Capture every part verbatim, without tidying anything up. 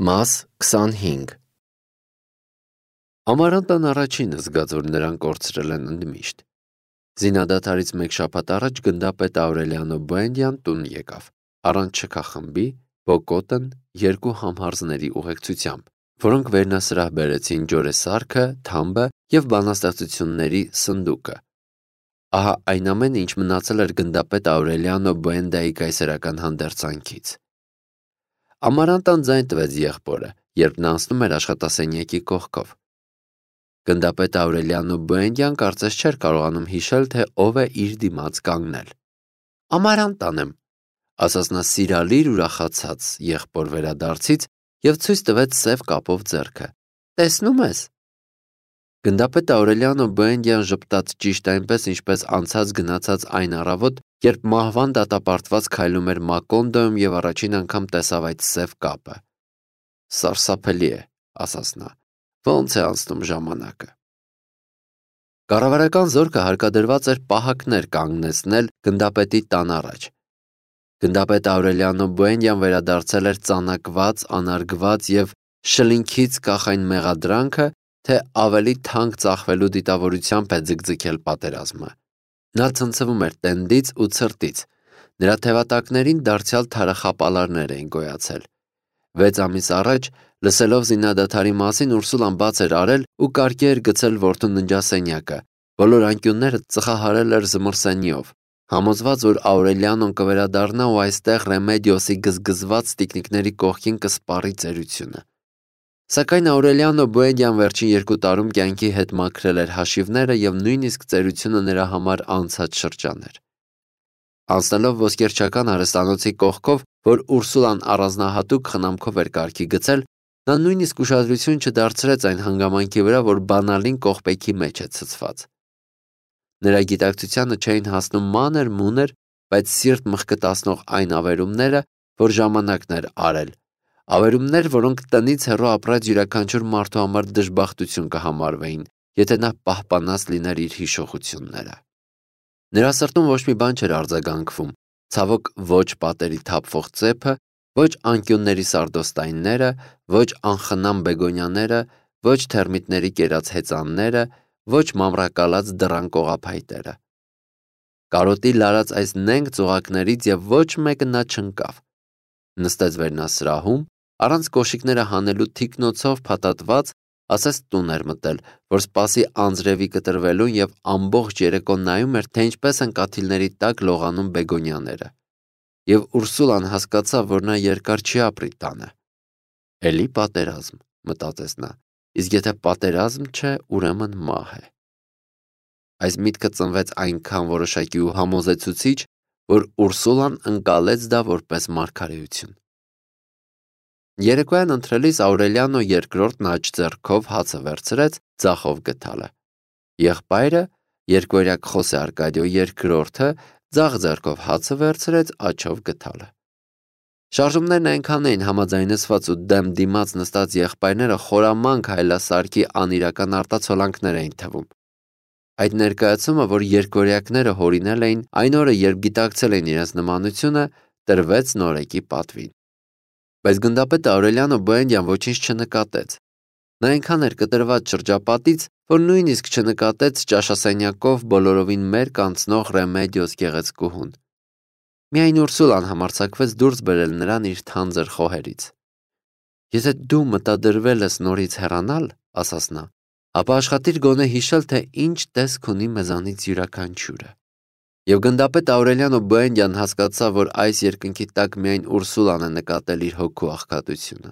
Մաս քսանհինգ Ամարանտան առաջինը զգաց, որ նրան կորցրել են ընդմիշտ։ Զինադադարից մեկ շաբաթ առաջ գնդապետ Աուրելիանո Բուենդյան տուն եկավ, առանց շքախմբի, բոկոտն երկու համհարզների ուղեկցությամբ, որոնք վերնասրահ բերեցին ջորեսարքը, թամբը և բանաստեղծությունների սնդուկը։ Ահա այն ամենը, ինչ մնացել էր գնդապետ Աուրելիանո Բուենդայի կայսերական հանդերձանքից։ Ամարանտան ձայն տվեց եղբորը, երբ նա անցնում էր աշխատասենյակի կողքով։ Գնդապետ Աուրելիանո Բուենդյան կարծես չէր կարողանում հիշել, թե ով է իր դիմաց կանգնել։ «Ամարանտան եմ», ասաց նա սիրալիր ուրախացած եղբոր վերադարձից և ցույց տվեց սև կապով ձեռքը։ «Տեսնում ես»։ Գնդապետ Աուրելիանո Բուենդյան ժպտաց ճիշտ այնպես, ինչպես անցած գնացած այն առավոտ, երբ մահվան դատապարտված քայլում էր Մակոնդոյում և առաջին անգամ տեսավ այդ սև կապը։ «Սարսափելի է», ասաց նա, «ոնց է անցնում ժամանակը»։ Կառավարական զորքը հարկադրված էր պահակներ կանգնեցնել գնդապետի տան առաջ։ Գնդապետ Աուրելիանո Բուենդյան վերադարձել էր ծանակված, անարգված և շլինքից կախ այն մեղադրանքը, թե ավելի թանկ ծախվելու դիտավորությամբ է ձգձգել պատերազմը։ Նա ցնցվում էր տենդից ու ցրտից, նրա թևատակներին դարձյալ թարախապալարներ էին գոյացել։ Վեց ամիս առաջ, լսելով զինադադարի մասին, Ուրսուլան բաց էր արել ու կարգի էր գցել որդու ննջասենյակը, բոլոր անկյունները ծխահարել էր զմռսենիով, համոզված, որ Աուրելիանոն կվերադառնա ու այստեղ Ռեմեդիոսի գզգզված տիկնիկների կողքին կսպառի ծերությունը։ Սակայն Աուրելիանո Բուենդյան վերջին երկու տարում կյանքի հետ մաքրել էր հաշիվները և նույնիսկ ծերությունը նրա համար անցած շրջան էր։ Անցնելով ոսկերչական արհեստանոցի կողքով, որ Ուրսուլան առանձնահատուկ խնամքով էր կարգի գցել, նա նույնիսկ ուշադրություն չդարձրեց այն հանգամանքի վրա, որ բանալին կողպեքի մեջ է ցցված։ Նրա գիտակցությանը չէին հասնում մանր-մունր, բայց սիրտ մխկտացնող այն ավերումները, որ ժամանակն էր արել, ավերումներ, որոնք տնից հեռու ապրած յուրաքանչյուր մարդու համար դժբախտություն կհամարվեին, եթե նա պահպանած լիներ իր հիշողությունները։ Նրա սրտում ոչ մի բան չէր արձագանքվում, ցավոք ոչ պատերի թափվող ծեփը, ոչ անկյունների սարդոստայնները, ոչ անխնամ բեգոնյաները, ոչ թերմիտների կերած հեծանները, ոչ մամռակալած դռան կողափայտերը։ Կարոտի լարած այս նենգ ծուղակներից և ոչ մեկը նա չընկավ։ Նստեց վերնասրահում, առանց կոշիկները հանելու թիկնոցով փաթաթված, ասես տուն էր մտել, որ սպասի անձրևի կտրվելուն և ամբողջ երեկո նայում էր, թե ինչպես են կաթիլների տակ լողանում բեգոնյաները։ Եվ Ուրսուլան հասկացավ, որ նա երկար չի ապրի տանը։ «Էլի պատերազմ», մտածեց նա, իսկ եթե պատերազմ չէ, ուրեմն մահ է։ Այս միտքը ծնվեց այնքան որոշակի ու համոզեցուցիչ, որ Ուրսուլան ընկալեց դա որպես մարգարեություն։ Երեկոյան ընթրելիս Աուրելիանո երկրորդն աջ ձեռքով հացը վերցրեց, ձախով գդալը։ Եղբայրը, երկվորյակ Խոսե Արկադիո երկրորդը, ձախ ձեռքով հացը վերցրեց, աջով գդալը։ Շարժումներն այնքան էին համաձայնեցված ու դեմ դիմաց նստած եղբայրները խորամանկ հայելասարքի անիրական արտացոլանքներ էին թվում։ Այդ ներկայացումը, որ երկվորյակները հորինել էին այն օրը, երբ գիտակցել էին իրենց նմանությունը, տրվեց նորեկի պատվին։ Բայց գնդապետ Աուրելիանո Բուենդյան ոչինչ չնկատեց։ Նա այնքան էր կտրված շրջապատից, որ նույնիսկ չնկատեց ճաշասենյակով բոլորովին մերկ անցնող Ռեմեդիոս գեղեցկուհուն։ Միայն Ուրսուլան համարձակվեց դուրս բերել նրան իր թանձր խոհերից։ «Եթե դու մտադրվել ես նորից հեռանալ, — ասաց նա, — ապա աշխատիր գոնե հիշել, թե ինչ տեսք ունի մեզանից յուրաքանչյուրը»։ Եվ գնդապետ Աուրելիանո Բուենդյան հասկացավ, որ այս երկնքի տակ միայն Ուրսուլան է նկատել իր հոգու աղքատությունը։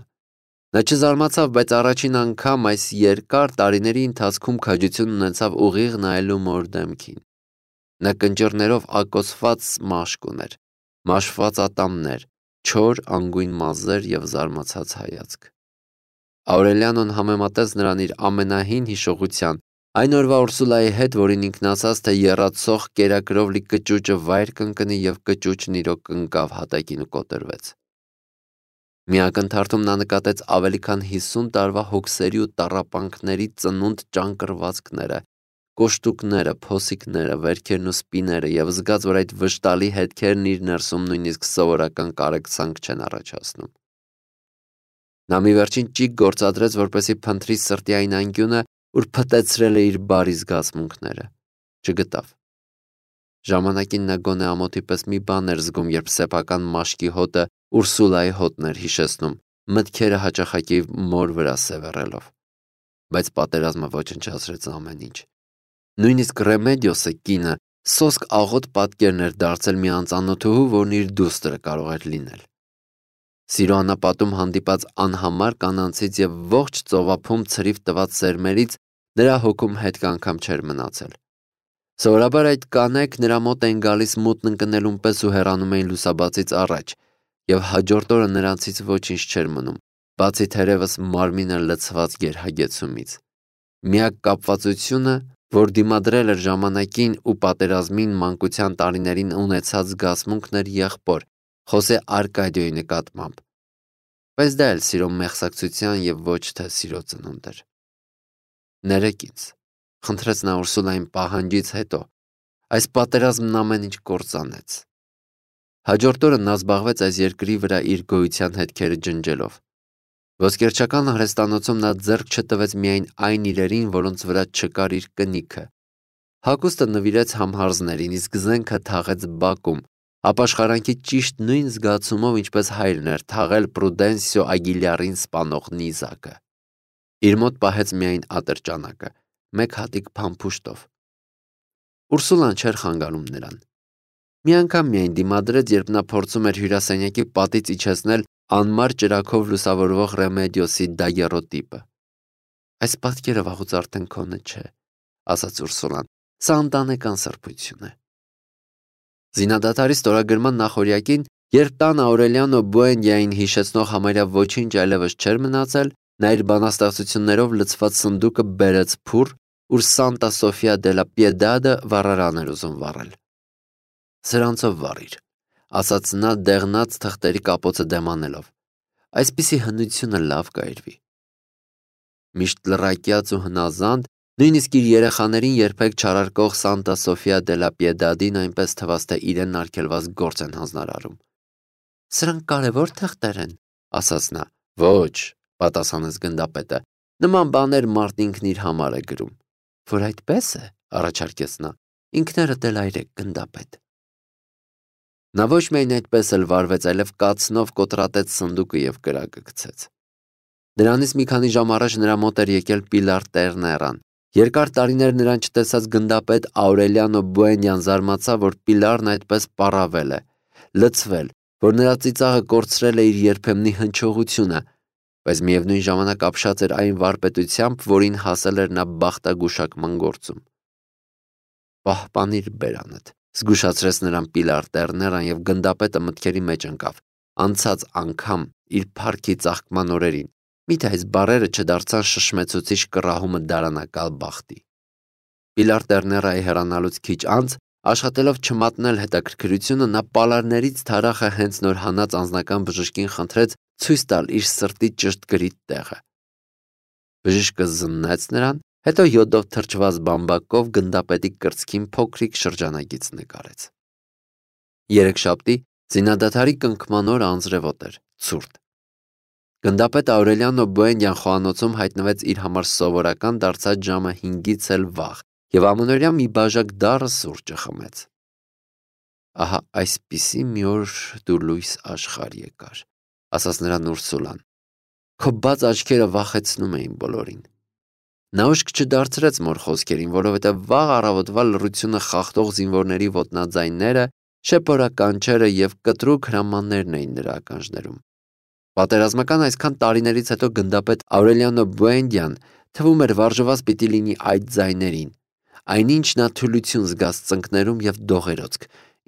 Նա չզարմացավ, բայց առաջին անգամ այս երկար տարիների ընթացքում քաջություն ունեցավ ուղիղ նայելու մոր դեմքին։ Նա կնճիռներով ակոսված մաշկ ուներ, մաշված ատամներ, չոր անգույն մազեր և զարմացած հայացք։ Աուրելիանոն համեմատեց նրան իր ամենահին հիշողության, այն օրվա Ուրսուլայի հետ, որին ինքն ասաց, թե եռացող կերակրով լի կճուճը վայր կընկնի, և կճուճն իրոք ընկավ հատակին ու կոտրվեց։ Մի ակնթարթում նա նկատեց ավելի քան հիսուն տարվա հոգսերի ու տառապանքների ծնունդ ճանկռվածքները, կոշտուկները, փոսիկները, վերքերն ու սպիները և զգաց, որ այդ վշտալի հետքերն իր ներսում նույնիսկ սովորական կարեկցանք չեն առաջացնում։ Նա մի վերջին ճիգ գործադրեց, որպեսզի փնտրի սրտի այն անկյունը, ուր փտեցրել է իր բարի զգացմունքները։ Չգտավ։ Ժամանակին նա գոնե ամոթի պես մի բան էր զգում, երբ սեփական մաշկի հոտը Ուրսուլայի հոտն էր հիշեցնում, մտքերը հաճախակի մոր վրա սևեռելով։ Բայց պատերազմը ոչնչացրեց ամեն ինչ։ Նույնիսկ Ռեմեդիոսը կինը սոսկ աղոտ պատկերն էր դարձել մի անծանոթուհու, որն իր դուստրը կարող էր լինել։ Սիրո անապատում հանդիպած անհամար կանանցից եւ ողջ ծովափում ցրիվ տված սերմերից նրա հոգում հետք անգամ չէր մնացել։ Սովորաբար այդ կանայք նրա մոտ էին գալիս մութն ընկնելուն պես ու հեռանում էին լուսաբացից առաջ, եւ հաջորդ օրը նրանցից ոչինչ չէր մնում, բացի թերևս մարմինը լցված գերհագեցումից։ Միակ կապվածությունը, որ դիմադրել էր ժամանակին ու պատերազմին մանկության տարիներին ունեցած զգացմունքն էր եղբոր Խոսե Արկադիոյի նկատմամբ, բայց դա էլ սիրո մեղսակցության եւ ոչ թե սիրո ծնունդ էր։ Ներեք ինձ, խնդրեց նա Ուրսուլային պահանջից հետո, այս պատերազմն ամեն ինչ կործանեց։ Հաջորդ օրը նա զբաղվեց այս երկրի վրա իր գոյության հետքերը ջնջելով։ Ոսկերչական արհեստանոցում նա ձեռք չտվեց միայն այն իրերին, որոնց վրա չկար իր կնիքը։ Հագուստը նվիրեց համհարզներին, իսկ զենքը թաղեց բակում, ապաշխարանքի ճիշտ նույն զգացումով, ինչպես հայրն էր թաղել Պրուդենսիո Ագիլյարին սպանող նիզակը։ Իր մոտ պահեց միայն ատրճանակը, մեկ հատիկ փամփուշտով։ Ուրսուլան չէր խանգարում նրան։ Մի անգամ միայն դիմադրեց, երբ նա փորձում էր հյուրասենյակի պատից իջեցնել անմար ճրագով լուսավորվող Ռեմեդիոսի դագերոտիպը։ Այս պատկերը վաղուց արդեն քոնը չէ, ասաց Ուրսուլան, սա ընտանեկան սրբություն է։ Զինադադարի ստորագրման նախօրյակին, երբ տան Աուրելիանո Բուենդիային հիշեցնող համարյա ոչինչ այլևս չէր մնացել, նա իր բանաստեղծություններով լցված սնդուկը բերեց փուռ, ուր Սանտա Սոֆիա դե լա Պիեդադը վառարան էր ուզում վառել։ Սրանցով վառիր, ասաց նա դեղնած թղթերի կապոցը դեմ անելով։ Այսպիսի հնությունը լավ կայրվի։ Միշտ լռակյաց ու հնազանդ, նույնիսկ իր երեխաներին երբեք չարարկող Սանտա Սոֆիա դե լա Պիեդադին այնպես թվաց, թե իրեն արգելված գործ են հանձնարարում։ Սրանք կարևոր թղթեր են, ասաց նա։ Ոչ, պատասխանեց գնդապետը, նման բաներ մարդ ինքն իր համար է գրում։ Որ այդպես է, առաջարկեց նա, ինքներդ էլ այրեք գնդապետ։ Նա ոչ միայն այդպես էլ վարվեց, այլև կացնով կոտրատեց սնդուկը եւ կրակը գցեց։ Դրանից մի քանի ժամ առաջ նրա մոտ էր եկել Պիլար Տերներան։ Երկար տարիներ նրան չտեսած գնդապետ Աուրելիանո Բուենդյան զարմացավ, որ Պիլարն այդպես պառավել է, լցվել, որ նրա ծիծաղը կորցրել է իր երբեմնի հնչողությունը, բայց միևնույն ժամանակ ապշած էր այն վարպետությամբ, որին հասել էր նա բախտագուշակման գործում։ Պահպանիր բերանդ, զգուշացրեց նրան Պիլար Տերներան եւ գնդապետը մտքերի մեջ ընկավ, անցած անգամ իր փառքի ծաղկման օրերին, միթե այս բարերը չդարձան շշմեցուցիչ կռահումը դարանակալ բախտի։ Պիլար Տերներայի հեռանալուց քիչ անց, աշխատելով չմատնել հետաքրքրությունը, նա պալարներից թարախը հենց նոր հանած անձնական բժշկին խնդրեց ցույց տալ իր սրտի ճշտգրիտ տեղը։ Բժիշկը զննեց նրան, հետո յոդով թրջված բամբակով գնդապետի կրծքին փոքրիկ շրջանագիծ նկարեց։ Երեքշաբթի զինադադարի կնքման օրը անձրևոտ էր, ցուրտ։ Գնդապետ Աուրելիանո Բուենդյան խոհանոցում հայտնվեց իր համար սովորական դարձած ժամը հինգից էլ վաղ եւ ամենօրյա մի բաժակ դառը սուրճը խմեց։ Ահա այսպիսի մի օր դու լույս աշխարհ եկար, ասաց նրան Ուրսուլան։ Քո բաց աչքերը վախեցնում էին բոլորին։ Նա ուշք չդարձրեց մոր խոսքերին, որովհետև վաղ առավոտվա լռությունը խախտող զինվորների ոտնաձայնները, շեփորականչերը եւ կտրուկ հրամաններն էին նրա ականջներում։ Պատերազմական այսքան տարիներից հետո գնդապետ Աուրելիանո Բուենդյան թվում էր վարժված պիտի լինի այդ ձայներին, այնինչ նա թուլություն զգաց ծնկներում եւ դողերոցք,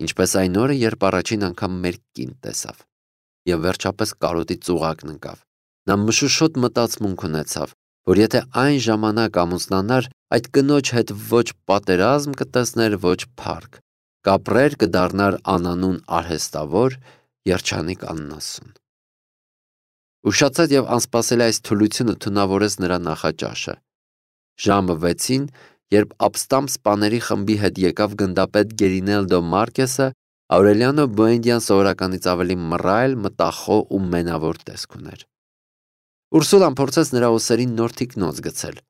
ինչպես այն օրը, երբ առաջին անգամ մեր կին տեսավ։ Եվ վերջապես կարոտի ծուղակն ընկավ։ Նա մշուշոտ մտածմունք ունեցավ, որ եթե այն ժամանակ ամուսնանար, այդ կնոջ հետ ոչ պատերազմ կտեսներ, ոչ փառք, կապրեր, կդառնար անանուն արհեստավոր, երջանիկ աննասուն։ Ուշացած եւ անսպասելի այս թուլությունը թունավորեց նրա նախաճաշը։ Ժամը վեցին, երբ ապստամբ սպաների խմբի հետ եկավ գնդապետ Գերինելդո Մարկեսը, Աուրելիանո Բուենդյան սովորականից ավելի մռայլ, մտախոհ ու մենավոր տեսք ուներ։ Ուրսուլան փորձեց նրա ուսերին նոր թիկնոց գցել։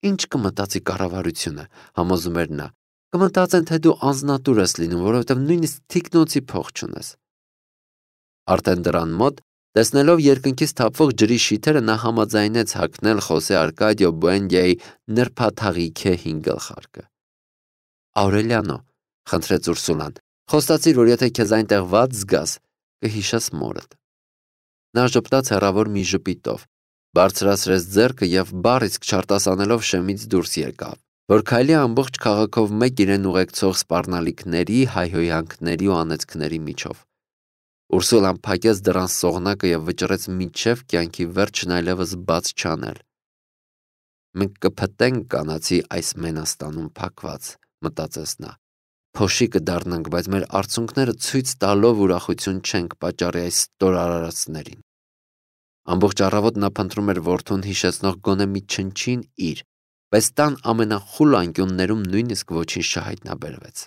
Ինչ կմտածի կառավարությունը, համոզում էր նա։ Կմտածեն, թե դու անձնատուր ես լինում, որովհետև նույնիսկ թիկնոցի փող չունես։ Արդեն դրան մոտ, տեսնելով երկնքից թափվող ջրի շիթերը, նա համաձայնեց հագնել Խոսե Արկադիո Բուենդիայի նրբաթաղիքե հին գլխարկը։ Աուրելիանո, խնդրեց Ուրսուլան, խոստացիր, որ եթե քեզ այնտեղ վատ զգաս, կհիշես մորդ։ Նա ժպտաց հեռավոր մի ժպիտով, բարձրացրեց ձեռքը և բառ իսկ չարտասանելով շեմից դուրս եկավ, որ քայլի ամբողջ քաղաքով մեկ իրեն ուղեկցող սպառնալիքների, հայհոյանքների ու անեծքների միջով։ Ուրսուլան փակեց դռան սողնակը և վճռեց մինչև կյանքի վերջն այլևս բաց չանել։ Մենք կփտենք կանացի այս մենաստանում փակված, մտածեց նա։ Փոշի կդառնանք, բայց մեր արցունքները ցույց տալով ուրախություն չենք պատճառի այս ստորարարածներին։ Ամբողջ առավոտ նա փնտրում էր որդուն հիշեցնող գոնե մի չնչին իր, բայց տան ամենախուլ անկյուններում նույնիսկ ոչինչ չհայտնաբերվեց։